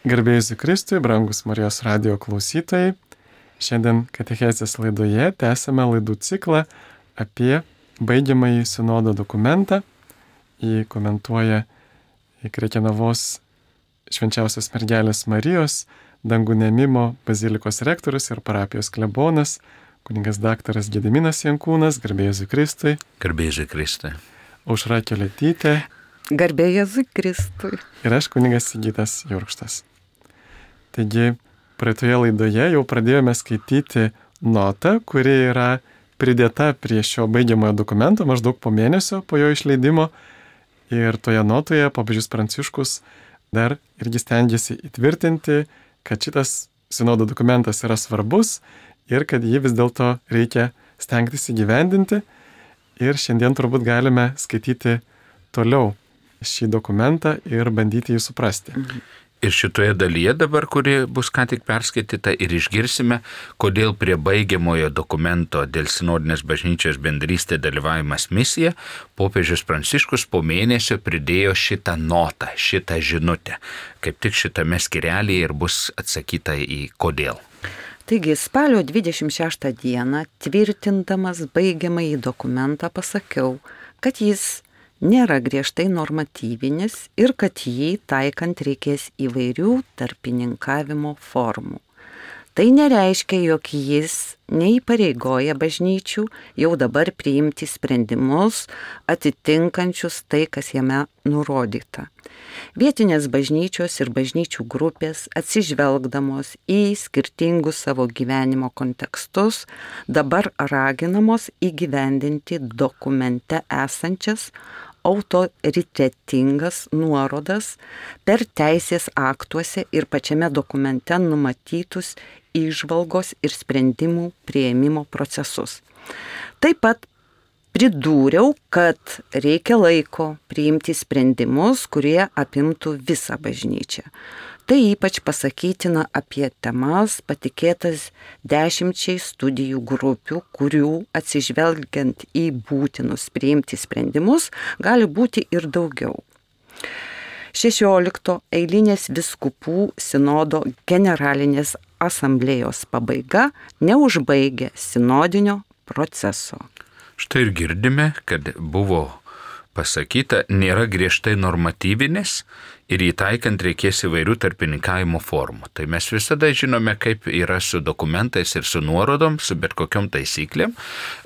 Garbėjai Jėzui Kristui, brangus Marijos radijo klausytojai. Šiandien katechezės laidoje tęsime laidų ciklą apie baigiamąjį sinodo dokumentą. Jį komentuoja Krekenavos Švenčiausios Mergelės Marijos Dangų Neėmimo bazilikos rektorius ir parapijos klebonas, kunigas daktaras Gediminas Jankūnas. Garbėjai Jėzui Kristui. Garbėjai Jėzui Kristui. Aušra Keletytė. Garbėjai Jėzui Kristui. Ir aš, kunigas Sigitas Jurkštas. Taigi, praeitoje laidoje jau pradėjome skaityti notą, kuri yra pridėta prie šio baigiamojo dokumento maždaug po mėnesio po jo išleidimo. Ir toje notoje popiežius Pranciškus dar irgi stengiasi įtvirtinti, kad šitas sinodo dokumentas yra svarbus ir kad jį vis dėlto reikia stengtis įgyvendinti. Ir šiandien turbūt galime skaityti toliau šį dokumentą ir bandyti jį suprasti. Ir šitoje dalyje dabar, kuri bus ką tik perskaityta, ir išgirsime, kodėl prie baigiamojo dokumento dėl sinodinės bažnyčios bendrystė dalyvavimas misija popiežius Pranciškus po mėnesio pridėjo šitą notą, šitą žinutę. Kaip tik šitame skyrelyje ir bus atsakyta į kodėl. Taigi, spalio 26 dieną, tvirtindamas baigiamąjį dokumentą, pasakiau, kad jis nėra griežtai normatyvinis ir kad jį taikant reikės įvairių tarpininkavimo formų. Tai nereiškia, jog jis neįpareigoja bažnyčių jau dabar priimti sprendimus atitinkančius tai, kas jame nurodyta. Vietinės bažnyčios ir bažnyčių grupės, atsižvelgdamos į skirtingus savo gyvenimo kontekstus, dabar raginamos įgyvendinti dokumente esančias autoritetingas nuorodas per teisės aktuose ir pačiame dokumente numatytus įžvalgos ir sprendimų priėmimo procesus. Taip pat pridūriau, kad reikia laiko priimti sprendimus, kurie apimtų visą bažnyčią. Tai ypač pasakytina apie temas patikėtas 10 studijų grupių, kurių atsižvelgiant į būtinus priimti sprendimus gali būti ir daugiau. 16 eilinės vyskupų sinodo generalinės asamblėjos pabaiga neužbaigė sinodinio proceso. Štai ir girdime, kad buvo pasakyta, nėra griežtai normatyvinės ir įtaikant reikės įvairių tarpininkavimo formų. Tai mes visada žinome, kaip yra su dokumentais ir su nuorodom, su bet kokiom taisyklėm.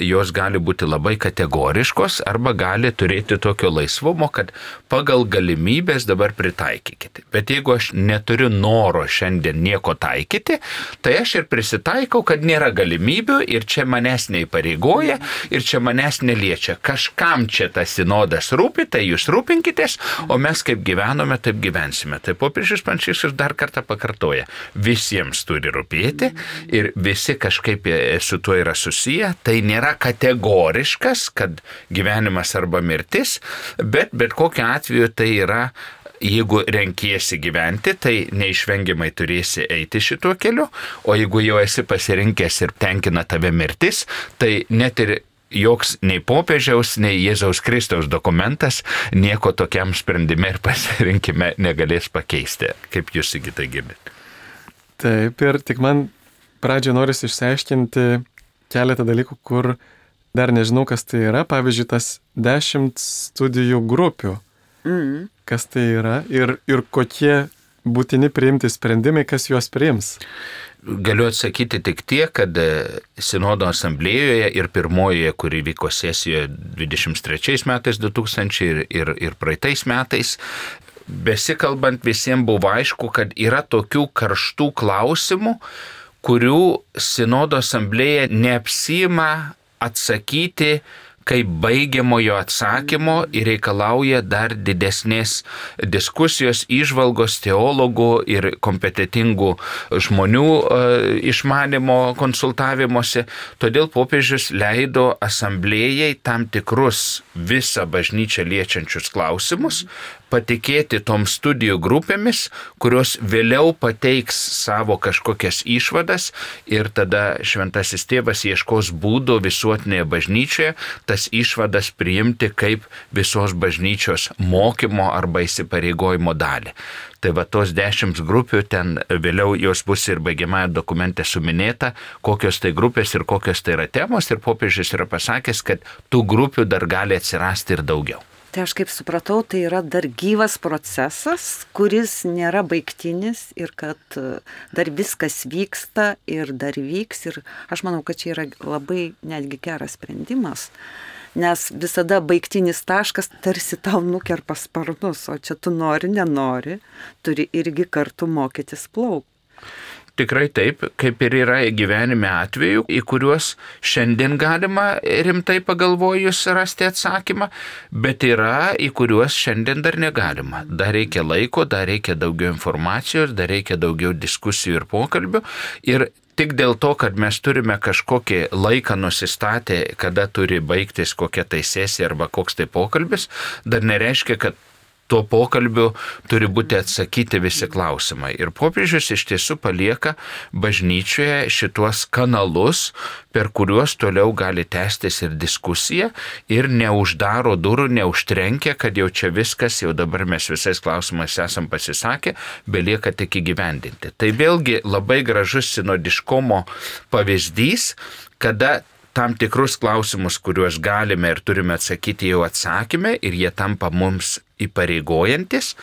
Jos gali būti labai kategoriškos arba gali turėti tokio laisvumo, kad pagal galimybės dabar pritaikykite. Bet jeigu aš neturiu noro šiandien nieko taikyti, tai aš ir prisitaikau, kad nėra galimybių ir čia manęs neįpareigoja ir čia manęs neliečia. Kažkam čia tas sinodas rūpi, tai jūs rūpinkitės, o mes kaip gyvenome, taip gyvensime. Tai popiežius Pranciškus dar kartą pakartoja. Visiems turi rūpėti ir visi kažkaip su tuo yra susiję. Tai nėra kategoriškas, kad gyvenimas arba mirtis, bet kokiu atveju tai yra, jeigu renkiesi gyventi, tai neišvengiamai turėsi eiti šituo keliu, o jeigu jau esi pasirinkęs ir tenkina tave mirtis, tai net ir joks nei popiežiaus, nei Jėzaus Kristaus dokumentas nieko tokiam sprendime ir pasirinkime negalės pakeisti. Kaip jūs Sigitai girdite? Taip, ir tik man pradžioje norisi išsiaiškinti keletą dalykų, kur dar nežinau, kas tai yra. Pavyzdžiui, tas 10 studijų grupių. Kas tai yra ir kokie būtini priimti sprendimai, kas juos priims. Galiu atsakyti tik tiek, kad sinodo asamblėjoje ir pirmojoje, kuri vyko sesijoje 23 metais 2000 ir praeitais metais, besikalbant visiems buvo aišku, kad yra tokių karštų klausimų, kurių sinodo asamblėja neapsiima atsakyti kaip baigiamojo atsakymo ir reikalauja dar didesnės diskusijos, įžvalgos teologų ir kompetentingų žmonių išmanimo konsultavimuose. Todėl popiežius leido asamblėjai tam tikrus visą bažnyčią liečiančius klausimus patikėti tom studijų grupėmis, kurios vėliau pateiks savo kažkokias išvadas ir tada šventasis tėvas ieškos būdų visuotinėje bažnyčioje tas išvadas priimti kaip visos bažnyčios mokymo arba įsipareigojimo dalį. Tai va tos 10 grupių, ten vėliau jos bus ir baigiamąją dokumente suminėta, kokios tai grupės ir kokios tai yra temos, ir popiežius yra pasakęs, kad tų grupių dar gali atsirasti ir daugiau. Tai aš kaip supratau, tai yra dar gyvas procesas, kuris nėra baigtinis ir kad dar viskas vyksta ir dar vyks. Ir aš manau, kad čia yra labai netgi geras sprendimas, nes visada baigtinis taškas tarsi tau nukerpa sparnus, o čia tu nori, nenori, turi irgi kartu mokytis plaukti. Tikrai taip, kaip ir yra gyvenime atvejų, į kuriuos šiandien galima rimtai pagalvojus rasti atsakymą, bet yra, į kuriuos šiandien dar negalima. Dar reikia laiko, dar reikia daugiau informacijos, dar reikia daugiau diskusijų ir pokalbių. Ir tik dėl to, kad mes turime kažkokį laiką nusistatę, kada turi baigtis kokia tai sesija arba koks tai pokalbis, dar nereiškia, kad tuo pokalbiu turi būti atsakyti visi klausimai. Ir popiežius iš tiesų palieka bažnyčioje šituos kanalus, per kuriuos toliau gali tęstis ir diskusija, ir neuždaro durų, neužtrenkia, kad jau čia viskas, jau dabar mes visais klausimais esam pasisakę, belieka tik įgyvendinti. Tai vėlgi labai gražus sinodiškumo pavyzdys, kada tam tikrus klausimus, kuriuos galime ir turime atsakyti, jau atsakymę ir jie tampa mums įpareigojantis,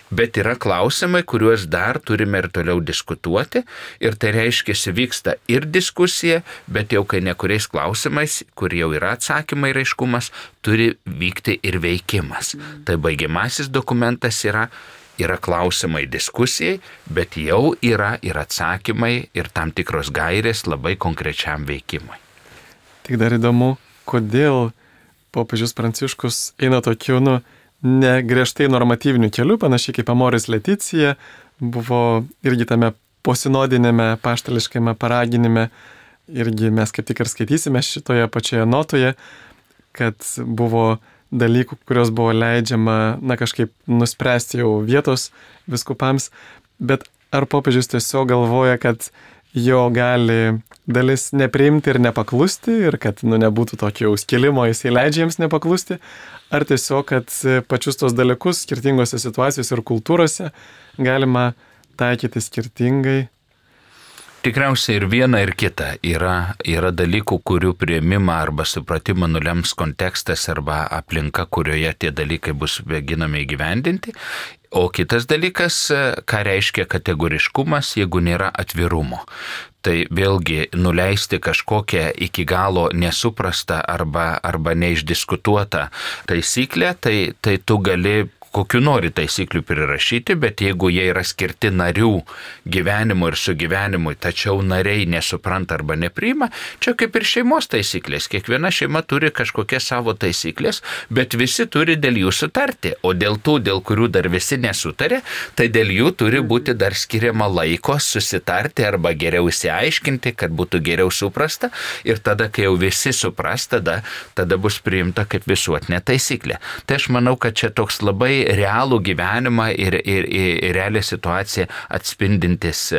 bet yra klausimai, kuriuos dar turime ir toliau diskutuoti, ir tai reiškia, vyksta ir diskusija, bet jau kai nekuriais klausimais, kur jau yra atsakymai ir aiškumas, turi vykti ir veikimas. Tai baigiamasis dokumentas yra klausimai diskusijai, bet jau yra ir atsakymai ir tam tikros gairės labai konkrečiam veikimui. Tik dar įdomu, kodėl popiežius Pranciškus eina tokiu, ne griežtai normatyviniu keliu, panašiai kaip Amoris Leticija, buvo irgi tame posinodinėme paštališkame paraginime, irgi mes kaip tik ir skaitysime šitoje pačioje notoje, kad buvo dalykų, kurios buvo leidžiama, kažkaip nuspręsti jau vietos vyskupams, bet ar popiežius tiesiog galvoja, kad jo gali dalis nepriimti ir nepaklusti ir kad nebūtų tokio skilimo, jisai leidžia jiems nepaklusti, ar tiesiog, kad pačius tos dalykus skirtingose situacijose ir kultūrose galima taikyti skirtingai? Tikriausiai ir viena, ir kita. Yra dalykų, kurių priėmimą arba supratimą nulems kontekstas arba aplinka, kurioje tie dalykai bus mėginami įgyvendinti. O kitas dalykas, ką reiškia kategoriškumas, jeigu nėra atvirumo. Tai vėlgi nuleisti kažkokią iki galo nesuprastą arba neišdiskutuotą taisyklę, tai tu gali kokiu nori taisyklių prirašyti, bet jeigu jie yra skirti narių gyvenimui ir sugyvenimui, tačiau nariai nesupranta arba nepriima, čia kaip ir šeimos taisyklės. Kiekviena šeima turi kažkokias savo taisyklės, bet visi turi dėl jų sutarti, o dėl kurių dar visi nesutarė, tai dėl jų turi būti dar skiriama laiko susitarti arba geriau įsiaiškinti, kad būtų geriau suprasta, ir tada, kai jau visi supras, tada bus priimta kaip visuotinė taisyklė. Tai aš manau, kad čia toks labai realų gyvenimą ir realią situaciją atspindintis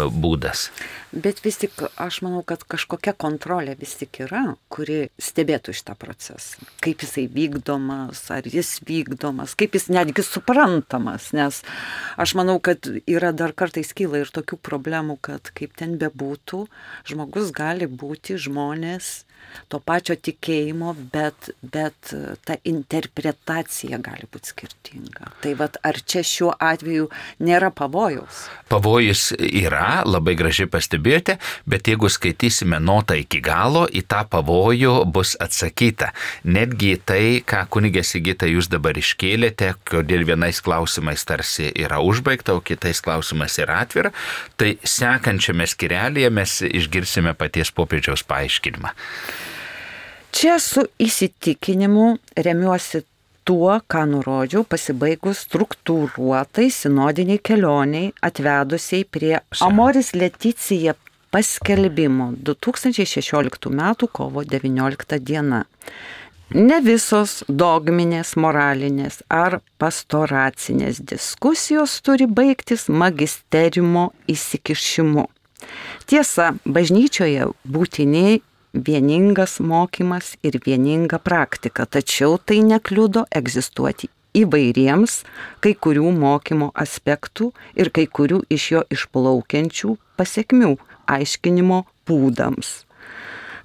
būdas. Bet vis tik aš manau, kad kažkokia kontrolė vis tik yra, kuri stebėtų šitą procesą. Kaip jisai vykdomas, ar jis vykdomas, kaip jis netgi suprantamas, nes aš manau, kad yra dar kartais kyla ir tokių problemų, kad kaip ten bebūtų, žmogus gali būti žmonės to pačio tikėjimo, bet ta interpretacija gali būti skirtinga. Tai ar čia šiuo atveju nėra pavojaus? Pavojus yra, labai gražiai pastebėjote, bet jeigu skaitysime notą iki galo, į tą pavojų bus atsakyta. Netgi tai, ką kunigė Sigita jūs dabar iškėlėte, kodėl vienais klausimais tarsi yra užbaigta, o kitais klausimais yra atvira, tai sekančiame skyrelyje mes išgirsime paties popiežiaus paaiškinimą. Čia su įsitikinimu remiuosi tuo, ką nurodžiau, pasibaigus struktūruotai sinodiniai kelioniai atvedusiai prie Amoris Leticija paskelbimo 2016 m. kovo 19 d. Ne visos dogminės, moralinės ar pastoracinės diskusijos turi baigtis magisteriumo įsikišimu. Tiesa, bažnyčioje būtini vieningas mokymas ir vieninga praktika, tačiau tai nekliudo egzistuoti įvairiems kai kurių mokymo aspektų ir kai kurių iš jo išplaukiančių pasekmių aiškinimo būdams.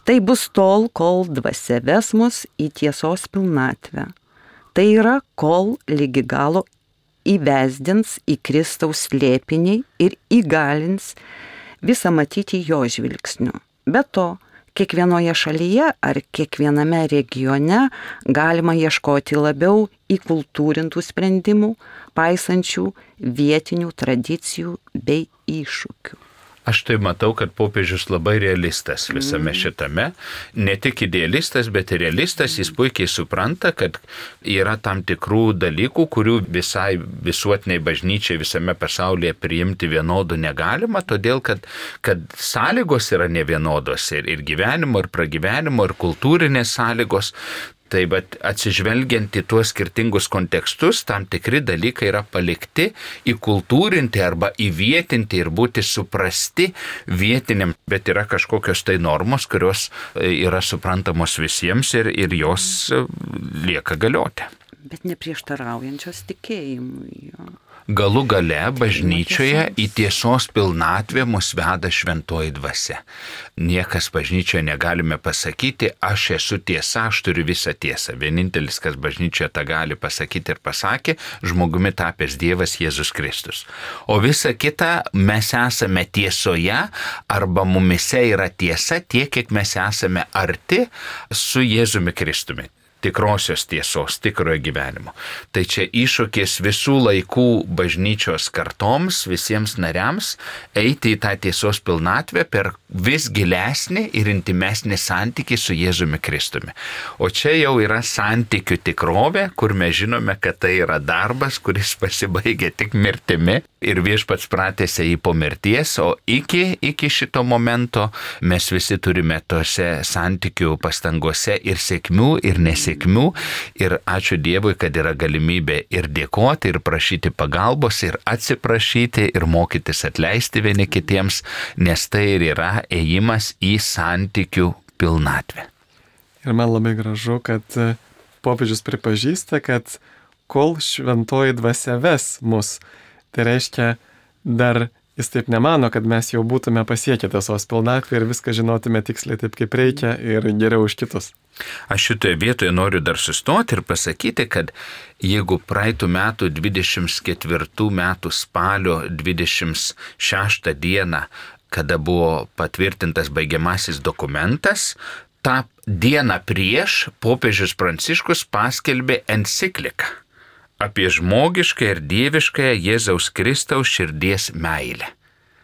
Tai bus tol, kol dvasia ves mus į tiesos pilnatvę. Tai yra, kol lygi galo įvesdins į Kristaus slėpinį ir įgalins visą matyti jo žvilgsniu. Be to, kiekvienoje šalyje ar kiekviename regione galima ieškoti labiau įkultūrintų sprendimų, paisančių vietinių tradicijų bei iššūkių. Aš tai matau, kad popiežius labai realistas visame šitame. Ne tik idealistas, bet ir realistas. Jis puikiai supranta, kad yra tam tikrų dalykų, kurių visai visuotiniai bažnyčiai visame pasaulyje priimti vienodų negalima, todėl kad sąlygos yra nevienodos ir gyvenimo, ir pragyvenimo, ir kultūrinės sąlygos. Tai bet atsižvelgiant į tuos skirtingus kontekstus, tam tikri dalykai yra palikti, įkultūrinti arba įvietinti ir būti suprasti vietiniam, bet yra kažkokios tai normos, kurios yra suprantamos visiems ir jos lieka galioti. Bet neprieštaraujančios tikėjimui. Galų gale bažnyčioje į tiesos pilnatvę mus veda šventoji dvasia. Niekas bažnyčioje negalime pasakyti, aš esu tiesa, aš turiu visą tiesą. Vienintelis, kas bažnyčioje tą gali pasakyti ir pasakė, žmogumi tapęs Dievas Jėzus Kristus. O visa kita mes esame tiesoje arba mumise yra tiesa tiek, kiek mes esame arti su Jėzumi Kristumi. Tikrosios tiesos, tikrojo gyvenimo. Tai čia iššūkis visų laikų bažnyčios kartoms, visiems nariams, eiti į tą tiesos pilnatvę per vis gilesnį ir intimesnį santykį su Jėzumi Kristumi. O čia jau yra santykių tikrovė, kur mes žinome, kad tai yra darbas, kuris pasibaigia tik mirtimi ir Viešpats pratęsia jį po mirties, o iki šito momento mes visi turime tose santykių pastangose ir sėkmių, ir nesėkmių. Ir ačiū Dievui, kad yra galimybė ir dėkoti, ir prašyti pagalbos, ir atsiprašyti, ir mokytis atleisti vieni kitiems, nes tai ir yra ėjimas į santykių pilnatvę. Ir man labai gražu, kad popiežius pripažįsta, kad kol šventoji dvasia ves mus, tai reiškia dar jis taip nemano, kad mes jau būtume pasiekę tiesos pilnatvę ir viską žinotume tiksliai taip, kaip reikia ir geriau už kitus. Aš šitoje vietoje noriu dar sustoti ir pasakyti, kad jeigu praeitų metų 24 metų spalio 26 dieną, kada buvo patvirtintas baigiamasis dokumentas, tą dieną prieš popiežius Pranciškus paskelbė encikliką apie žmogišką ir dieviškąją Jėzaus Kristaus širdies meilę.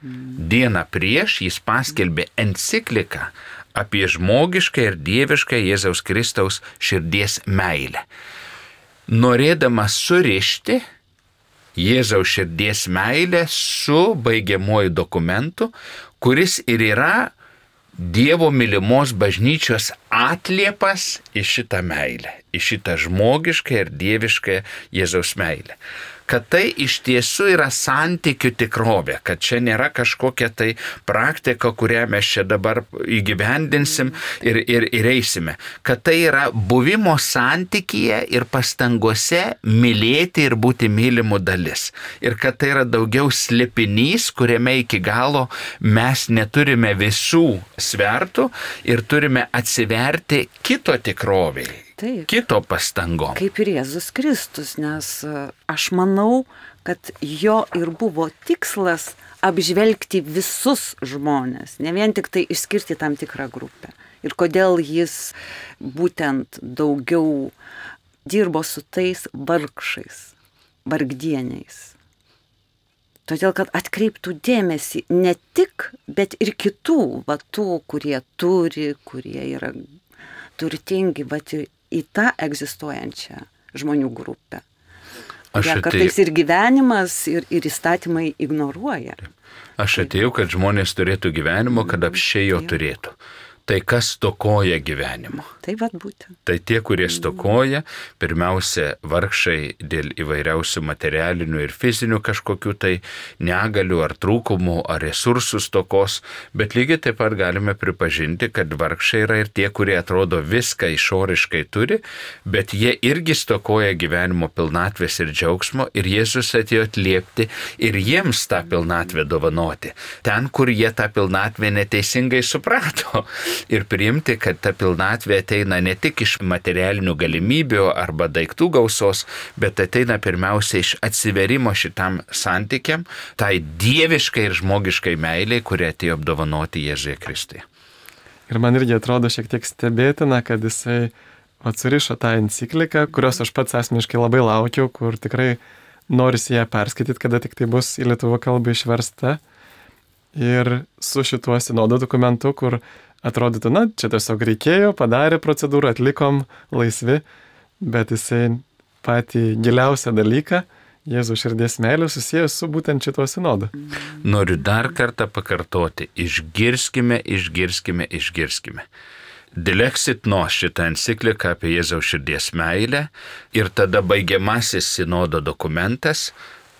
Dieną prieš jis paskelbė encikliką apie žmogišką ir dievišką Jėzaus Kristaus širdies meilę. Norėdamas surišti Jėzaus širdies meilę su baigiamuoju dokumentu, kuris ir yra Dievo mylimos bažnyčios atliepas į šitą meilę, į šitą žmogišką ir dievišką Jėzaus meilę. Kad tai iš tiesų yra santykių tikrovė, kad čia nėra kažkokia tai praktika, kurią mes čia dabar įgyvendinsim ir eisime. Kad tai yra buvimo santykyje ir pastangose mylėti ir būti mylimų dalis. Ir kad tai yra daugiau slėpinys, kuriame iki galo mes neturime visų svertų ir turime atsiverti kito tikroviai. Taip. Kito pastangom. Kaip ir Jėzus Kristus, nes aš manau, kad jo ir buvo tikslas apžvelgti visus žmonės, ne vien tik tai išskirti tam tikrą grupę. Ir kodėl jis būtent daugiau dirbo su tais vargšais, vargdieniais. Todėl, kad atkreiptų dėmesį ne tik, bet ir kitų, tų, kurie turi, kurie yra turtingi, bet į tą egzistuojančią žmonių grupę. Kartais ir gyvenimas, ir įstatymai ignoruoja. Aš atėjau, kad žmonės turėtų gyvenimo, kad apsčiai jo turėtų. Tai kas stokoja gyvenimo? Tai vad būtent. Tai tie, kurie stokoja, pirmiausia, vargšai dėl įvairiausių materialinių ir fizinių kažkokių tai negalių ar trūkumų ar resursų stokos, bet lygiai taip pat galime pripažinti, kad vargšai yra ir tie, kurie atrodo viską išoriškai turi, bet jie irgi stokoja gyvenimo pilnatvės ir džiaugsmo ir Jėzus atėjo atliepti ir jiems tą pilnatvę dovanoti. Ten, kur jie tą pilnatvę neteisingai suprato. Ir priimti, kad ta pilnatvė ateina ne tik iš materialinių galimybių arba daiktų gausos, bet ateina pirmiausia iš atsiverimo šitam santykiam, tai dieviškai ir žmogiškai meiliai, kurie atėjo apdovanoti Jėzuje Kristuje. Ir man irgi atrodo šiek tiek stebėtina, kad jisai atsirišo tą encikliką, kurios aš pats asmeniškai labai laukiau, kur tikrai norisi ją perskaityti, kada tik tai bus į lietuvių kalbą išversta. Ir su šituo sinodo dokumentu, kur atrodytų, na, čia tiesiog reikėjo, padarė procedūrą, atlikom laisvi, bet jisai patį giliausią dalyką, Jėzų širdies meilę, susijęs su būtent šituo sinodu. Noriu dar kartą pakartoti, išgirskime. Dilexit nos šitą encikliką apie Jėzaus širdies meilę ir tada baigiamasis sinodo dokumentas.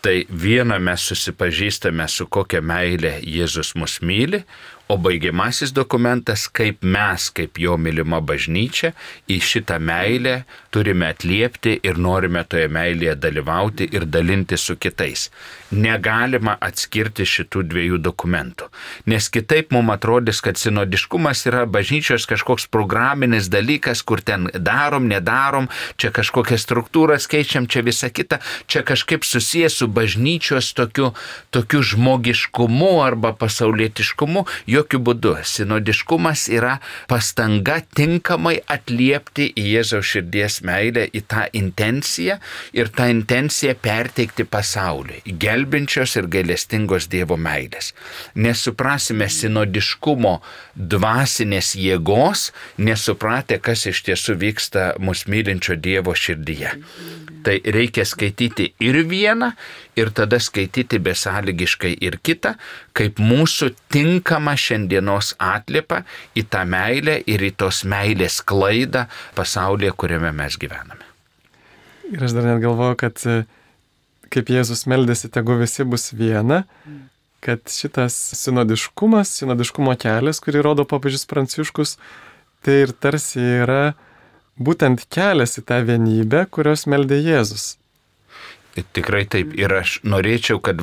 Tai viena mes susipažįstame su kokia meilė Jėzus mus myli, o baigiamasis dokumentas, kaip mes, kaip jo mylima bažnyčia, į šitą meilę turime atliepti ir norime toje meilėje dalyvauti ir dalinti su kitais. Negalima atskirti šitų dviejų dokumentų, nes kitaip mums atrodys, kad sinodiškumas yra bažnyčios kažkoks programinis dalykas, kur ten darom, nedarom, čia kažkokias struktūras keičiam, čia visa kita, čia kažkaip susijęs su bažnyčios tokiu žmogiškumu arba pasaulietiškumu. Jokių būdų. Sinodiškumas yra pastanga tinkamai atliepti į Jėzaus širdies meilę, į tą intenciją ir tą intenciją perteikti pasauliui, gelbinčios ir gailestingos Dievo meilės. Nesuprasime sinodiškumo dvasinės jėgos, nesupratę, kas iš tiesų vyksta mus mylinčio Dievo širdyje. Tai reikia skaityti ir vieną, ir tada skaityti besąlygiškai ir kitą, kaip mūsų tinkama šiandienos atliepa į tą meilę ir į tos meilės sklaidą pasaulyje, kuriame mes gyvename. Ir aš dar net galvoju, kad kaip Jėzus meldėsi, tegu visi bus viena, kad šitas sinodiškumo kelias, kurį rodo popiežius Pranciškus, tai ir tarsi yra būtent kelias į tą vienybę, kurios meldė Jėzus. Tikrai taip. Ir aš norėčiau, kad,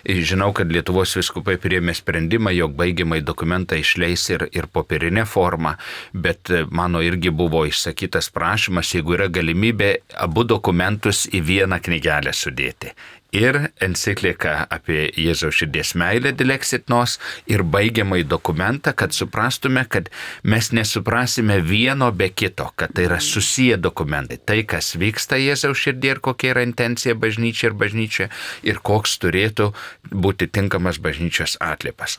žinau, kad Lietuvos vyskupai priėmė sprendimą, jog baigiamai dokumentą išleis ir popierinę formą, bet mano irgi buvo išsakytas prašymas, jeigu yra galimybė abu dokumentus į vieną knygelę sudėti. Ir enciklika apie Jėzaus širdies meilę Dilexit nos ir baigiamai dokumentą, kad suprastume, kad mes nesuprasime vieno be kito, kad tai yra susiję dokumentai. Tai, kas vyksta Jėzaus širdie ir kokia yra intencija bažnyčia ir koks turėtų būti tinkamas bažnyčios atliepas.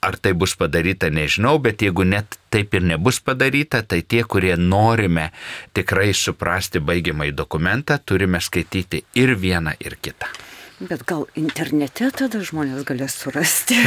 Ar tai bus padaryta, nežinau, bet jeigu net taip ir nebus padaryta, tai tie, kurie norime tikrai suprasti baigiamai dokumentą, turime skaityti ir vieną, ir kitą. Bet gal internete tada žmonės galės surasti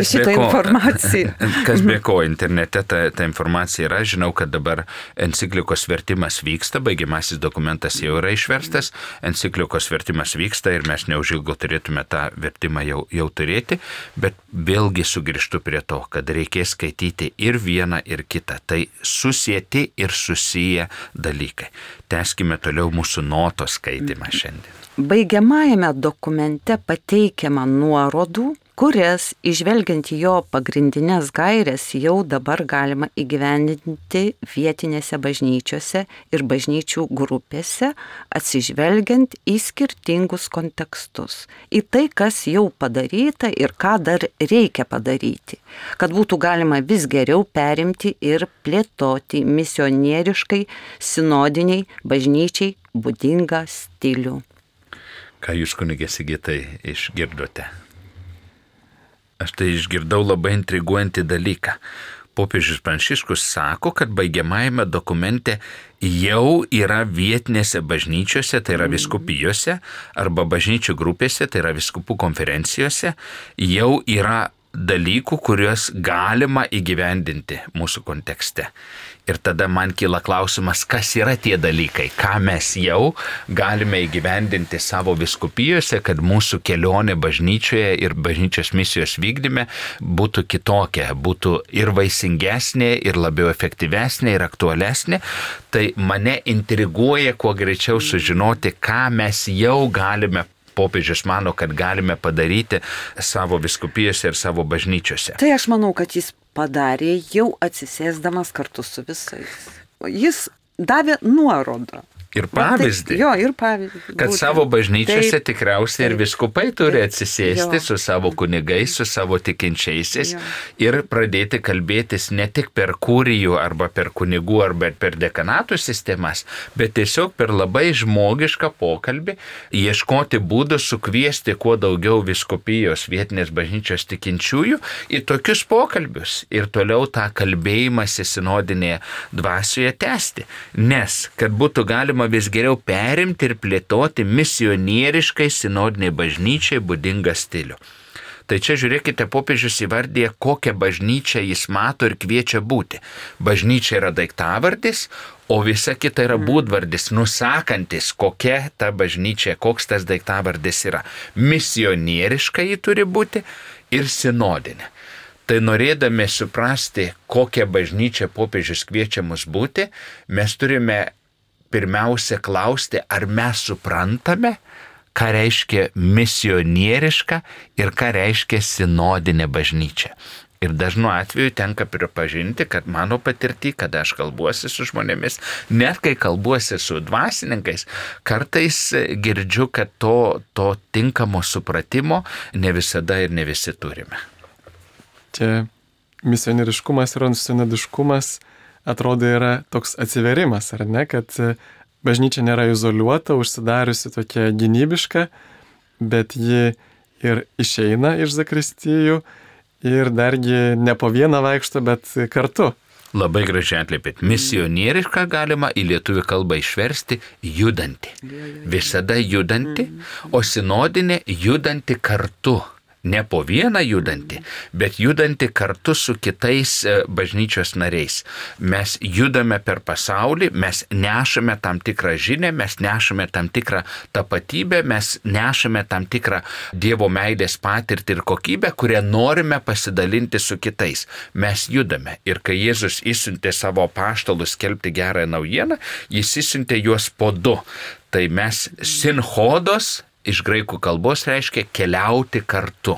šitą informaciją. Kas be ko, internete ta informacija yra. Žinau, kad dabar enciklikos vertimas vyksta, baigiamasis dokumentas jau yra išverstas, enciklikos vertimas vyksta ir mes neužilgo turėtume tą vertimą jau turėti, bet vėlgi sugrįžtu prie to, kad reikės skaityti ir vieną, ir kitą. Tai susieti ir susiję dalykai. Tęskime toliau mūsų notos skaitimą šiandien. Baigiamajame dokumente pateikiama nuorodų, kurias, išvelgiant jo pagrindinės gairės, jau dabar galima įgyvendinti vietinėse bažnyčiose ir bažnyčių grupėse, atsižvelgiant į skirtingus kontekstus, į tai, kas jau padaryta ir ką dar reikia padaryti, kad būtų galima vis geriau perimti ir plėtoti misionieriškai, sinodiniai bažnyčiai būdingą stilių. Ką jūs, kunigė Sigitai, išgirdote? Aš tai išgirdau labai intriguojantį dalyką. Popiežius Pranciškus sako, kad baigiamajame dokumente jau yra vietinėse bažnyčiose, tai yra vyskupijose, arba bažnyčių grupėse, tai yra vyskupų konferencijose, jau yra dalykų, kuriuos galima įgyvendinti mūsų kontekste. Ir tada man kyla klausimas, kas yra tie dalykai, ką mes jau galime įgyvendinti savo vyskupijose, kad mūsų kelionė bažnyčioje ir bažnyčios misijos vykdyme būtų kitokia, būtų ir vaisingesnė, ir labiau efektyvesnė, ir aktualesnė. Tai mane intriguoja kuo greičiau sužinoti, ką mes jau galime. Popiežius mano, kad galime padaryti savo vyskupijose ir savo bažnyčiose. Tai aš manau, kad jis padarė jau atsisėsdamas kartu su visais. Jis davė nuorodą. Ir pavyzdį. Jo, ir pavyzdį. Kad savo bažnyčiose tikriausiai ir viskupai turi atsisėsti su savo kunigais, su savo tikinčiaisiais ir pradėti kalbėtis ne tik per kurijų arba per kunigų arba per dekanatų sistemas, bet tiesiog per labai žmogišką pokalbį, ieškoti būdų sukviesti kuo daugiau viskupijos vietinės bažnyčios tikinčiųjų į tokius pokalbius ir toliau tą kalbėjimąsi sinodinėje dvasioje tęsti. Nes, kad būtų galima vis geriau perimti ir plėtoti misionieriškai sinodiniai bažnyčiai būdingą stilių. Tai čia žiūrėkite, popiežius įvardė, kokią bažnyčią jis mato ir kviečia būti. Bažnyčia yra daiktavardis, o visa kita yra būdvardis, nusakantis, kokia ta bažnyčia, koks tas daiktavardis yra. Misionieriška ji turi būti ir sinodinė. Tai norėdami suprasti, kokią bažnyčią popiežius kviečia mus būti, mes turime pirmiausia klausti, ar mes suprantame, ką reiškia misionieriška ir ką reiškia sinodinė bažnyčia. Ir dažnu atveju tenka pripažinti, kad mano patirtį, kada aš kalbuosi su žmonėmis, net kai kalbuosi su dvasininkais, kartais girdžiu, kad to tinkamo supratimo ne visada ir ne visi turime. Čia misionieriškumas ir sinodiškumas atrodo yra toks atsiverimas, ar ne, kad bažnyčia nėra izoliuota, užsidariusi tokia gynybiška, bet ji ir išeina iš zakristijų ir dargi ne po vieną vaikšto, bet kartu. Labai gražiai atliepėt. Misionierišką galima į lietuvių kalbą išversti judanti. Visada judanti, o sinodinė judanti kartu. Ne po vieną judanti, bet judanti kartu su kitais bažnyčios nariais. Mes judame per pasaulį, mes nešame tam tikrą žinią, mes nešame tam tikrą tapatybę, mes nešame tam tikrą Dievo meilės patirtį ir kokybę, kurią norime pasidalinti su kitais. Mes judame. Ir kai Jėzus išsiuntė savo apaštalus skelbti gerąją naujieną, jis išsiuntė juos po du. Tai mes sinhodos, iš graikų kalbos reiškia keliauti kartu.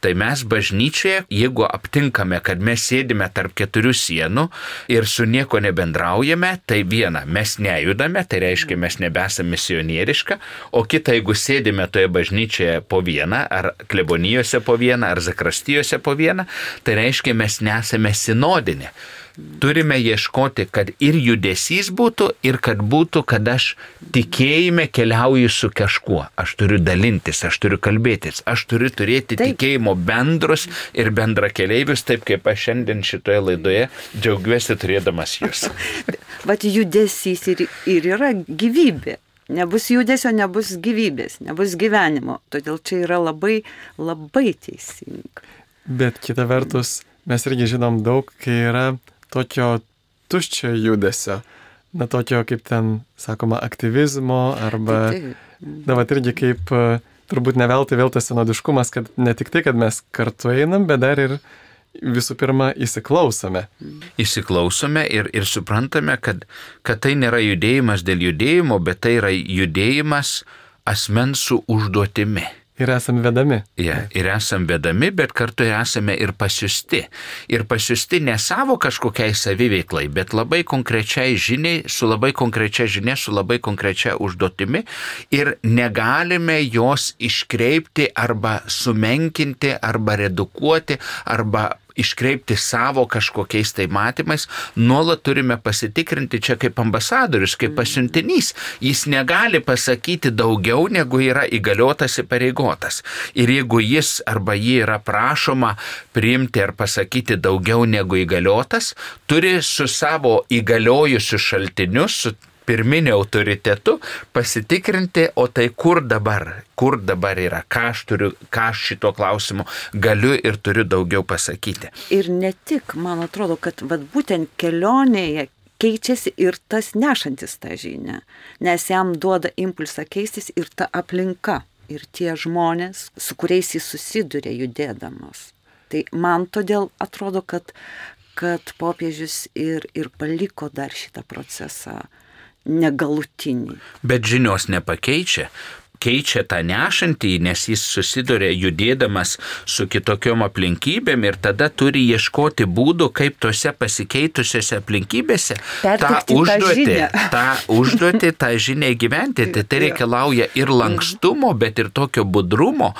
Tai mes bažnyčioje, jeigu aptinkame, kad mes sėdime tarp keturių sienų ir su nieko nebendraujame, tai viena, mes nejudame, tai reiškia, mes nebesame misionieriška, o kita, jeigu sėdime toje bažnyčioje po vieną, ar klebonijose po vieną, ar zakrastijose po vieną, tai reiškia, mes nesame sinodinė. Turime ieškoti, kad ir judesys būtų, ir kad būtų, kad aš tikėjime keliauju su kažkuo. Aš turiu dalintis, aš turiu kalbėtis, aš turiu turėti tikėjimo bendrus ir bendrakeleivius, taip kaip aš šiandien šitoje laidoje džiaugiuosi turėdamas jūs. Vat judesys ir yra gyvybė. Nebus judesio, nebus gyvybės, nebus gyvenimo. Todėl čia yra labai, labai teisinga. Bet kita vertus, mes irgi žinom daug, kai yra tokio tuščio judesio, na tokio kaip ten, sakoma, aktyvizmo arba, na vat irgi kaip turbūt neveltui vėl tas sinodiškumas, kad ne tik tai, kad mes kartu einam, bet dar ir visų pirma įsiklausome. Įsiklausome ir suprantame, kad tai nėra judėjimas dėl judėjimo, bet tai yra judėjimas asmens su užduotimi. Ir esame vedami. Ir esame vedami, bet kartu esame ir pasiusti. Ir pasiusti ne savo kažkokiai saviveiklai, bet labai konkrečiai žiniai, su labai konkrečia žinia, su labai konkrečia užduotimi. Ir negalime jos iškreipti arba sumenkinti, arba redukuoti, arba iškreipti savo kažkokiais tai matymais, nuolat turime pasitikrinti čia kaip ambasadorius, kaip pasiuntinys. Jis negali pasakyti daugiau, negu yra įgaliotas įpareigotas. Ir jeigu jis arba jį yra prašoma priimti ar pasakyti daugiau negu įgaliotas, turi su savo įgaliojusiu šaltiniu, su pirminiu autoritetu pasitikrinti, o tai kur dabar yra, ką aš šito klausimu galiu ir turiu daugiau pasakyti. Ir ne tik, man atrodo, kad būtent kelionėje keičiasi ir tas nešantis tą žinią, nes jam duoda impulsą keistis ir ta aplinka, ir tie žmonės, su kuriais jis susiduria judėdamas. Tai man todėl atrodo, kad popiežius ir paliko dar šitą procesą negalutinį. Bet žinios nepakeičia. Keičia tą nešantį, nes jis susiduria judėdamas su kitokiom aplinkybėm ir tada turi ieškoti būdų, kaip tose pasikeitusiose aplinkybėse tą užduotį, tą žinią gyventi. Tai reikalauja ir lankstumo, bet ir tokio budrumo,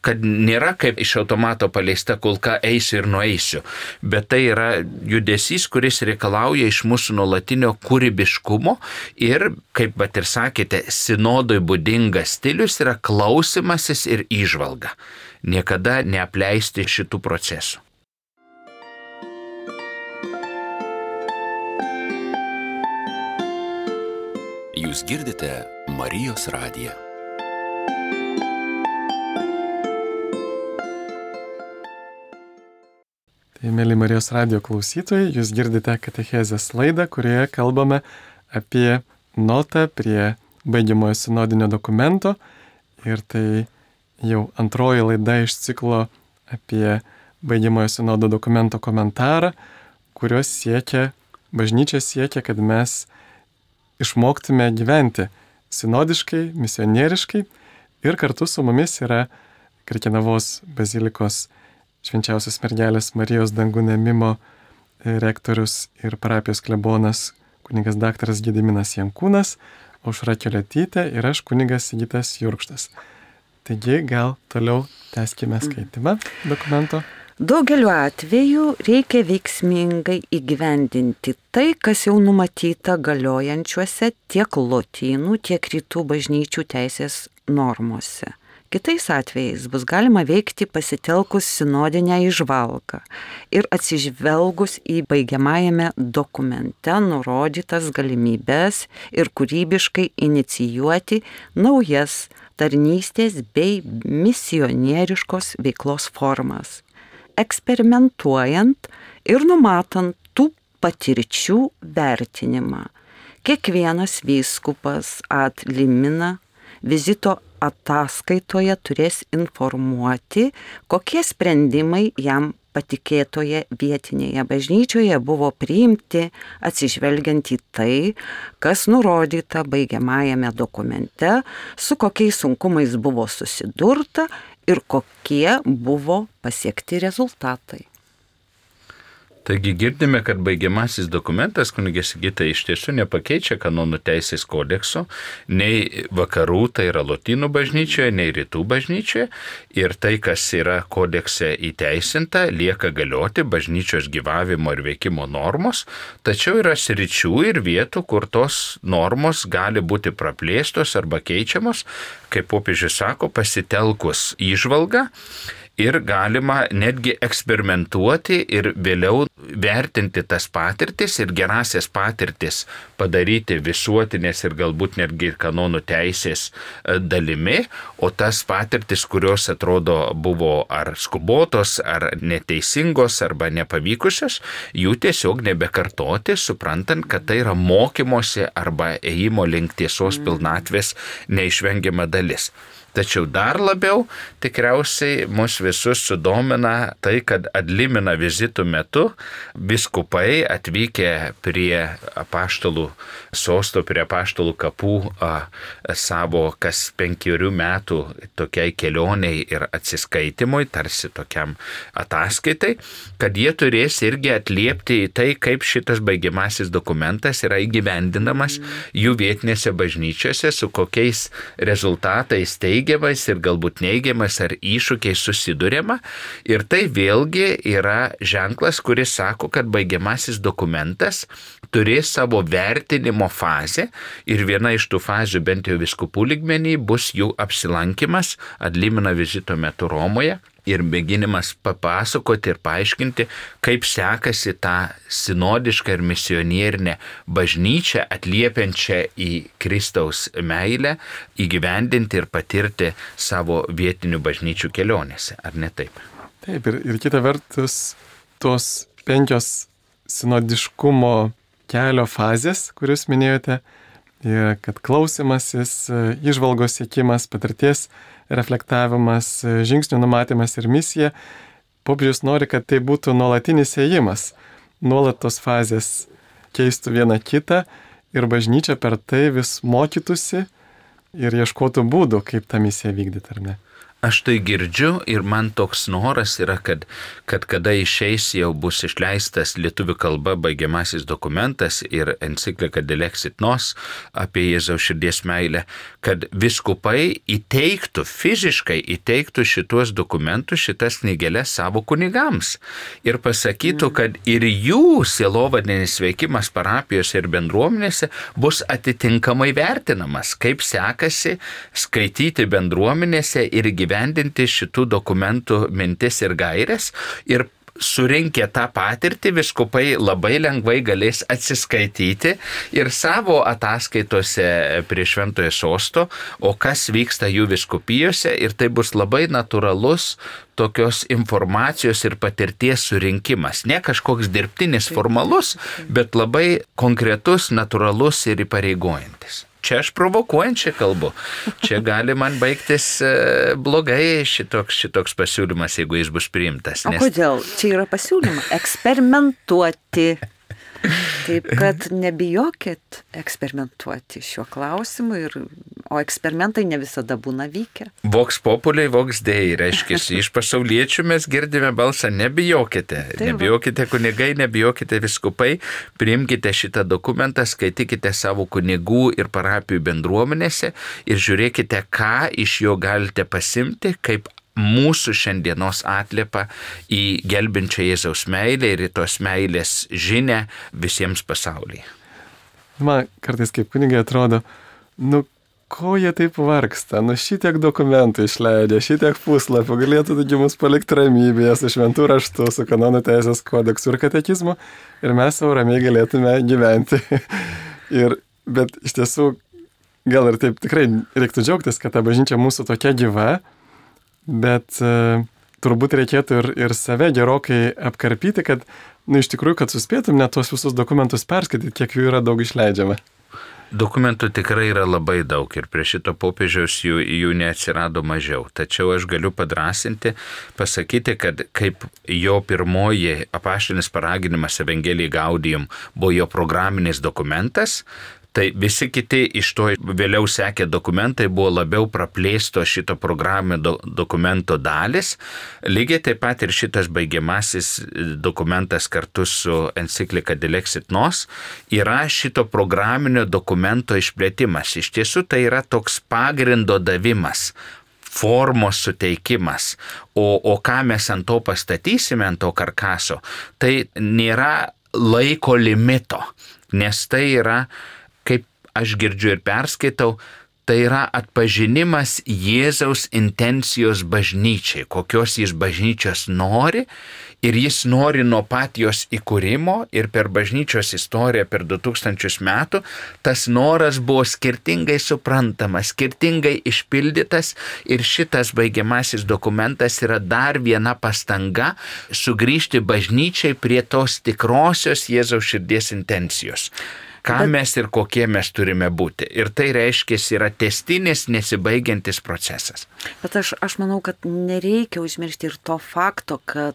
kad nėra kaip iš automato paleista kulka eisiu ir nueisiu. Bet tai yra judesys, kuris reikalauja iš mūsų nuolatinio kūrybiškumo ir, kaip ir sakėte, sinodui būdingas stilius yra klausimasis ir įžvalga. Niekada neapleisti šitų procesų. Jūs girdite Marijos radiją. Tai, mėly Marijos radijo klausytojai, jūs girdite katechezės laidą, kurioje kalbame apie notą prie baigiamojo sinodinio dokumento ir tai jau antroji laida iš ciklo apie baigiamojo sinodo dokumento komentarą, kurios bažnyčia siekia, kad mes išmoktume gyventi sinodiškai, misionieriškai ir kartu su mumis yra Krekenavos bazilikos Švenčiausios mergelės Marijos dangų ėmimo rektorius ir parapijos klebonas kunigas daktaras Gediminas Jankūnas, Aušra Keliuotytė ir aš kunigas Sigitas Jurkštas. Taigi gal toliau tęskime skaitimą dokumento. Daugeliu atveju reikia veiksmingai įgyvendinti tai, kas jau numatyta galiojančiuose tiek lotynų, tiek rytų bažnyčių teisės normose. Kitais atvejais bus galima veikti pasitelkus sinodinę įžvalgą ir atsižvelgus į baigiamajame dokumente nurodytas galimybes ir kūrybiškai inicijuoti naujas tarnystės bei misionieriškos veiklos formas, eksperimentuojant ir numatant tų patirčių vertinimą. Kiekvienas vyskupas ad limina vizito ataskaitoje turės informuoti, kokie sprendimai jam patikėtoje vietinėje bažnyčioje buvo priimti atsižvelgiant į tai, kas nurodyta baigiamajame dokumente, su kokiais sunkumais buvo susidurta ir kokie buvo pasiekti rezultatai. Taigi girdime, kad baigiamasis dokumentas kunigė Sigita iš tiesų nepakeičia kanonų teisės kodekso, nei vakarų, tai yra lotynų bažnyčioje, nei rytų bažnyčioje. Ir tai, kas yra kodekse įteisinta, lieka galioti bažnyčios gyvavimo ir veikimo normos, tačiau yra sričių ir vietų, kur tos normos gali būti praplėstos arba keičiamos, kaip popiežius sako, pasitelkus įžvalgą. Ir galima netgi eksperimentuoti ir vėliau vertinti tas patirtis ir gerasias patirtis padaryti visuotinės ir galbūt netgi kanonų teisės dalimi, o tas patirtis, kurios atrodo buvo ar skubotos, ar neteisingos, arba nepavykusios, jų tiesiog nebekartoti, suprantant, kad tai yra mokymosi arba ėjimo link tiesos pilnatvės neišvengiama dalis. Tačiau dar labiau tikriausiai mus visus sudomina tai, kad ad limina vizitų metu vyskupai atvykę prie apaštalų sosto, prie apaštalų kapų savo kas 5 metų tokiai kelioniai ir atsiskaitimui, tarsi tokiam ataskaitai, kad jie turės irgi atliepti į tai, kaip šitas baigiamasis dokumentas yra įgyvendinamas jų vietinėse bažnyčiose, su kokiais rezultatais teigiamais ir galbūt neigiamais ar iššūkiais susiduriama. Ir tai vėlgi yra ženklas, kuris sako, kad baigiamasis dokumentas turės savo vertinimo fazę ir viena iš tų fazių bent jau vyskupų lygmenį bus jų apsilankimas ad limina vizito metu Romoje. ir mėginimas papasakoti ir paaiškinti, kaip sekasi tą sinodišką ir misionierinę bažnyčią atliepiančią į Kristaus meilę įgyvendinti ir patirti savo vietinių bažnyčių kelionėse, ar ne taip? Taip, ir kita vertus, tos 5 sinodiškumo kelio fazės, kuriuos minėjote, kad klausimasis, įžvalgos siekimas, patirties reflektavimas, žingsnių numatymas ir misija, popiežius nori, kad tai būtų nuolatinis ėjimas, nuolat tos fazės keistų vieną kitą ir bažnyčia per tai vis mokytųsi ir ieškotų būdų, kaip tą misiją vykdyti, ar ne? Aš tai girdžiu ir man toks noras yra, kad kada išeis jau bus išleistas lietuvių kalba baigiamasis dokumentas ir enciklika Dilexit Nos apie Jėzaus širdies meilę, kad vyskupai fiziškai įteiktų šitos dokumentus, šitas knygeles savo kunigams ir pasakytų, kad ir jų sielovadinis veikimas parapijose ir bendruomenėse bus atitinkamai vertinamas, kaip sekasi skaityti bendruomenėse ir gyvendinti šitų dokumentų mintis ir gaires ir surinkę tą patirtį vyskupai labai lengvai galės atsiskaityti ir savo ataskaitose prie Šventojo Sosto, o kas vyksta jų vyskupijose ir tai bus labai natūralus tokios informacijos ir patirties surinkimas. Ne kažkoks dirbtinis formalus, bet labai konkretus, natūralus ir įpareigojantis. Čia aš provokuojančiai kalbu. Čia gali man baigtis blogai šitoks pasiūlymas, jeigu jis bus priimtas. O kodėl? Čia yra pasiūlymas eksperimentuoti. Taip, kad nebijokit eksperimentuoti šiuo klausimu, o eksperimentai ne visada būna vykę. Vox populi, vox dei, reiškia, iš pasauliečių mes girdime balsą, nebijokite. Taip, nebijokite kunigai, nebijokite vyskupai, priimkite šitą dokumentą, skaitykite savo kunigų ir parapijų bendruomenėse ir žiūrėkite, ką iš jo galite pasimti, kaip mūsų šiandienos atliepą į gelbinčią Jėzaus meilę ir į tos meilės žinę visiems pasaulyje. Man kartais kaip kunigai atrodo, ko jie taip vargsta, šitiek dokumentų išleidžia, šitiek puslapių, galėtų taigi mus palikti ramybėje su šventų raštu, su kanonų teisės kodeksu ir katekizmu ir mes savo ramiai galėtume gyventi. Bet iš tiesų, gal ir taip tikrai reiktų džiaugtis, kad ta bažnyčia mūsų tokia gyva, bet turbūt reikėtų ir save gerokai apkarpyti, kad, iš tikrųjų, kad suspėtum net tuos visus dokumentus perskaityti, kiek jų yra daug išleidžiama. Dokumentų tikrai yra labai daug ir prie šito popiežiaus jų neatsirado mažiau. Tačiau aš galiu padrasinti, pasakyti, kad kaip jo pirmoji apaštalinis paraginimas Evangelijai Gaudium buvo jo programinis dokumentas, tai visi kiti iš to vėliau sekė dokumentai buvo labiau praplėsto šito programinio dokumento dalis. Lygiai taip pat ir šitas baigiamasis dokumentas kartu su enciklika Dilexit Nos yra šito programinio dokumento išplėtimas. Iš tiesų tai yra toks pagrindo davimas, formos suteikimas, o ką mes ant to pastatysime, ant to karkaso, tai nėra laiko limito, nes tai yra, kaip aš girdžiu ir perskaitau, tai yra atpažinimas Jėzaus intencijos bažnyčiai, kokios jis bažnyčios nori ir jis nori nuo pat jos įkūrimo ir per bažnyčios istoriją per 2000 metų tas noras buvo skirtingai suprantamas, skirtingai išpildytas ir šitas baigiamasis dokumentas yra dar viena pastanga sugrįžti bažnyčiai prie tos tikrosios Jėzaus širdies intencijos. Ką mes ir kokie mes turime būti. Ir tai reiškia, yra tęstinis, nesibaigiantis procesas. Bet aš manau, kad nereikia užmiršti ir to fakto, kad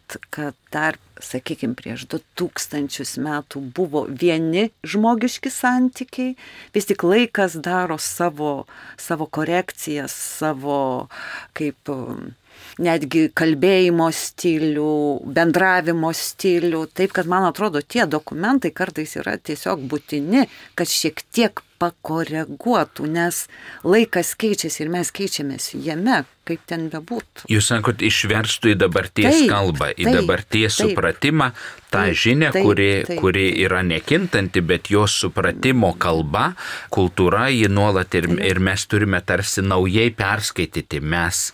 dar, sakykime, prieš 2000 metų buvo vieni žmogiški santykiai, vis tik laikas daro savo korekcijas, savo kaip netgi kalbėjimo stilių, bendravimo stilių. Taip, kad man atrodo, tie dokumentai kartais yra tiesiog būtini, kad šiek tiek pakoreguotų, nes laikas keičiasi ir mes keičiamės jame, kaip ten bebūtų. Jūs sakot, išverstų į dabarties kalbą, į dabarties supratimą, tą žinią, kuri yra nekintanti, bet jos supratimo kalba, kultūra, ji nuolat ir mes turime tarsi naujai perskaityti, mes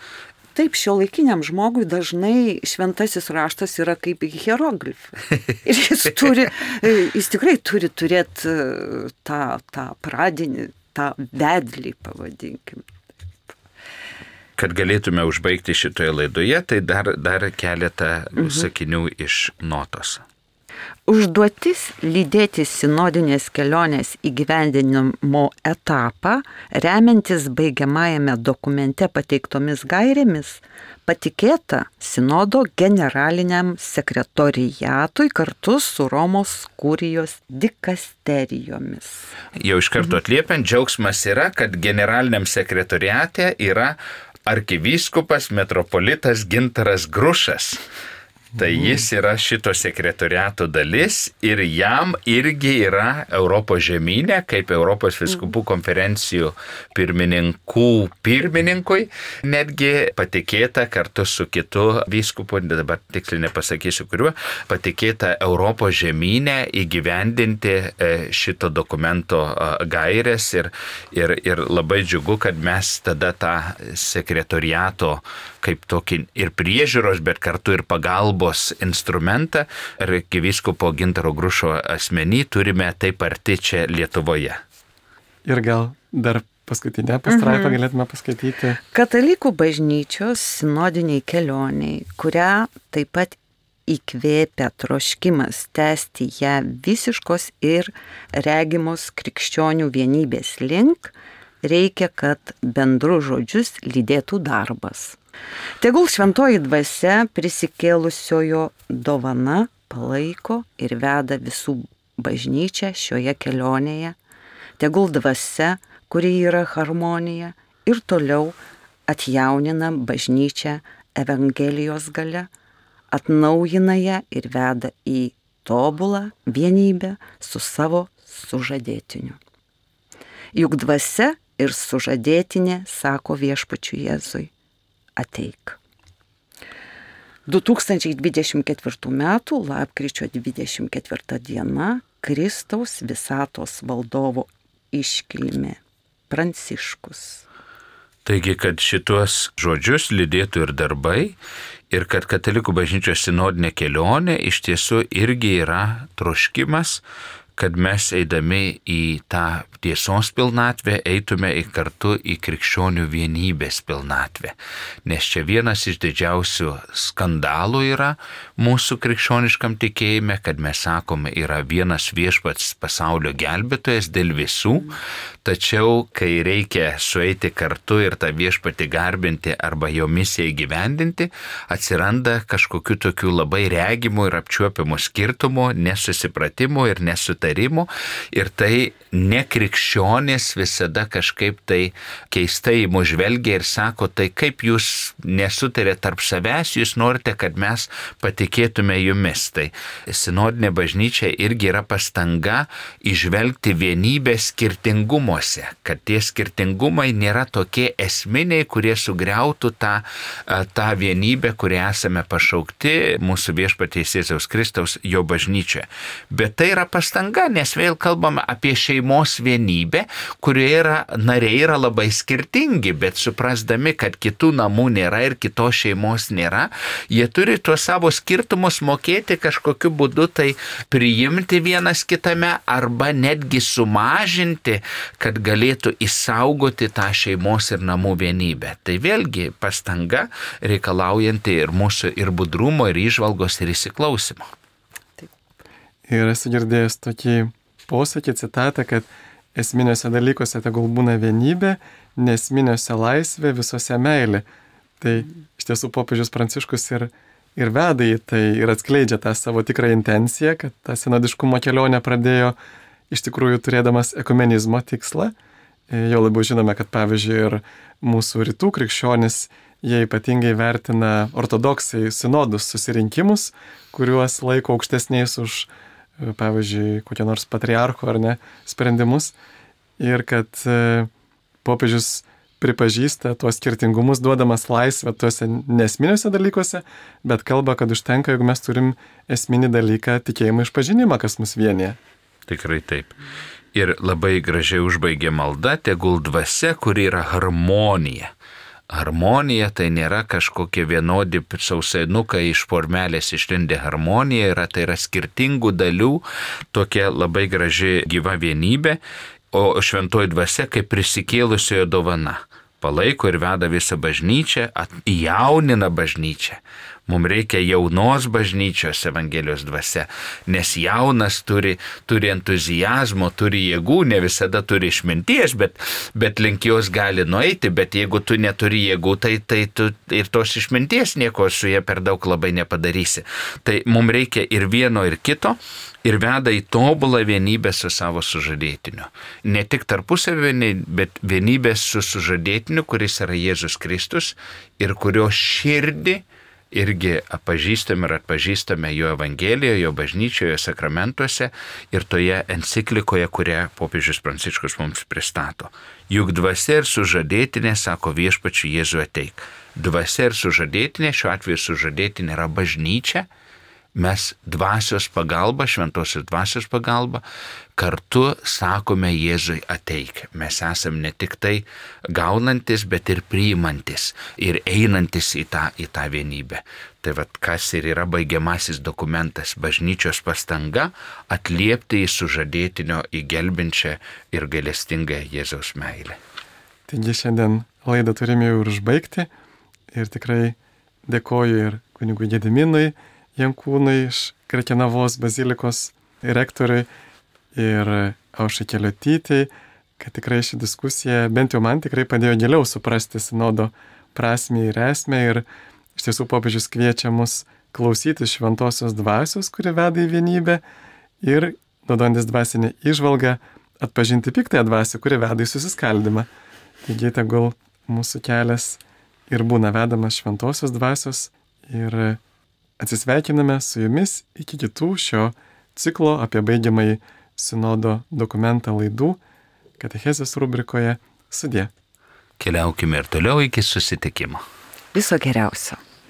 Taip, šiuolaikiniam žmogui dažnai šventasis raštas yra kaip hieroglifai. Ir jis tikrai turi turėti tą pradinį, tą vedlį, pavadinkim. Kad galėtume užbaigti šitoje laidoje, tai dar keletą sakinių iš notos. Užduotis lydėti sinodinės kelionės įgyvendinimo etapą, remiantis baigiamajame dokumente pateiktomis gairėmis, patikėta sinodo generaliniam sekretoriatui kartu su Romos kurijos dikasterijomis. Jau iš karto atliepiant, džiaugsmas yra, kad generaliniam sekretoriate yra arkivyskupas metropolitas Gintaras Grušas. Tai jis yra šito sekretoriato dalis ir jam irgi yra Europos žemynė, kaip Europos vyskupų konferencijų pirmininkui, netgi patikėta kartu su kitu vyskupu, dabar tiksliai nepasakysiu kuriuo, patikėta Europos žemynė įgyvendinti šito dokumento gairės ir labai džiugu, kad mes tada tą sekretoriato kaip tokį ir priežiūros, bet kartu ir pagalbos instrumentą arkivyskupo Gintaro Grušo asmenį turime taip arti čia Lietuvoje. Ir gal dar paskutinę pastraipą galėtume paskaityti. Katalikų bažnyčios sinodiniai kelioniai, kurią taip pat įkvėpia troškimas tęsti ją visiškos ir regimos krikščionių vienybės link, reikia, kad bendru žodžius lydėtų darbas. Tegul šventoji dvasia prisikėlusiojo dovana palaiko ir veda visų bažnyčią šioje kelionėje. Tegul dvasia, kuri yra harmonija, ir toliau atjaunina bažnyčią Evangelijos galia, atnaujina ją ir veda į tobulą vienybę su savo sužadėtiniu. Juk dvasia ir sužadėtinė sako viešpačiui Jėzui: ateik. 2024 m. lapkričio 24 diena Kristaus visatos valdovo iškilmė Pranciškus. Taigi, kad šitos žodžius lydėtų ir darbai, ir kad katalikų bažnyčios sinodinė kelionė iš tiesų irgi yra troškimas, kad mes eidami į tą tiesos pilnatvę eitume kartu į krikščionių vienybės pilnatvę. Nes čia vienas iš didžiausių skandalų yra mūsų krikščioniškam tikėjime, kad mes sakome, yra vienas viešpats pasaulio gelbėtojas dėl visų, tačiau kai reikia sueiti kartu ir tą viešpatį garbinti arba jo misiją įgyvendinti, atsiranda kažkokių tokių labai regimų ir apčiuopiamų skirtumų, nesusipratimų ir nesutarimų, ir tai nekrikščionys visada kažkaip tai keistai mus žvelgia ir sako, tai kaip jūs nesutarėte tarp savęs, jūs norite, kad mes patikėtume jumis. Tai sinodinė bažnyčia irgi yra pastanga įžvelgti vienybę skirtingumuose, kad tie skirtingumai nėra tokie esminiai, kurie sugriautų tą vienybę, kurią esame pašaukti mūsų viešpaties Jėzaus Kristaus jo bažnyčioje. Bet tai yra pastanga, nes vėl kalbame apie šeimos vienybę, kurioje nariai yra labai skirtingi, bet suprasdami, kad kitų namų nėra ir kitos šeimos nėra, jie turi tuos savo skirtumus mokėti kažkokiu būdu tai priimti vienas kitame arba netgi sumažinti, kad galėtų išsaugoti tą šeimos ir namų vienybę. Tai vėlgi pastanga reikalaujanti ir mūsų ir budrumo, ir įžvalgos, ir įsiklausimo. Ir esu girdėjęs tokį posakį, citatą, kad esminiuose dalykuose tegul būna vienybė, nesminiuose laisvė, visose meilė. Tai iš tiesų popiežius Pranciškus ir veda į tai ir atskleidžia tą savo tikrą intenciją, kad tą sinodiškumo kelionę pradėjo iš tikrųjų turėdamas ekumenizmo tikslą. Jau labiau žinome, kad pavyzdžiui ir mūsų rytų krikščionis, jie ypatingai vertina ortodoksai sinodus susirinkimus, kuriuos laiko aukštesniais už, pavyzdžiui, kokie nors patriarcho ar ne sprendimus. Ir kad popiežius pripažįsta tuos skirtingumus, duodamas laisvę tuose nesminiuose dalykuose, bet kalba, kad užtenka, jeigu mes turim esminį dalyką tikėjimo išpažinimą, kas mus vienyje. Tikrai taip. Ir labai gražiai užbaigė malda, tegul dvasia, kuri yra harmonija, Harmonija tai nėra kažkokie vienodi sausainukai iš formelės išlindę. Harmonija tai yra skirtingų dalių, tokia labai graži gyva vienybė, o šventoji dvasia kaip prisikėlusiojo dovana. Palaiko ir veda visą bažnyčią, jaunina bažnyčią. Mums reikia jaunos bažnyčios Evangelijos dvasia, nes jaunas turi entuzijazmo, turi jėgų, ne visada turi išminties, bet link jos gali nueiti, bet jeigu tu neturi jėgų, tai tu ir tos išminties nieko su jie per daug labai nepadarysi. Tai mums reikia ir vieno, ir kito. Ir veda į tobulą vienybę su savo sužadėtiniu. Ne tik tarpusavį, bet vienybę su sužadėtiniu, kuris yra Jėzus Kristus ir kurio širdį irgi atpažįstame jo Evangelijoje, jo bažnyčioje, jo sakramentuose ir toje enciklikoje, kurią popiežius Pranciškus mums pristato. Juk dvasia ir sužadėtinė, sako Viešpačiui Jėzui, ateik. Dvasia ir sužadėtinė, šiuo atveju sužadėtinė yra bažnyčia. Mes dvasios pagalba, šventosios dvasios pagalba, kartu sakome Jėzui ateik. Mes esam ne tik tai gaunantis, bet ir priimantis ir einantis į tą vienybę. Tai vat kas ir yra baigiamasis dokumentas, bažnyčios pastanga atliepti į sužadėtinio įgelbinčią ir gailestingą Jėzaus meilę. Taigi šiandien laidą turime jau užbaigti ir tikrai dėkoju ir kunigui Gediminui Jankūnui iš Krekenavos bazilikos rektoriui ir Aušrai Keliotytei, kad tikrai ši diskusija bent jau man tikrai padėjo giliau suprasti sinodo prasmę ir esmę ir iš tiesų popiežius kviečia mus klausyti šventosios dvasios, kuri veda į vienybę ir, naudojantis dvasinę įžvalgą, atpažinti piktąją dvasią, kuri veda į susiskaldymą. Taigi tegul mūsų kelias ir būna vedamas šventosios dvasios ir atsisveikiname su jumis iki kitų šio ciklo apie baigiamąjį sinodo dokumentą laidų katechezės rubrikoje. Sudie. Keliaukime ir toliau iki susitikimo. Viso geriausio.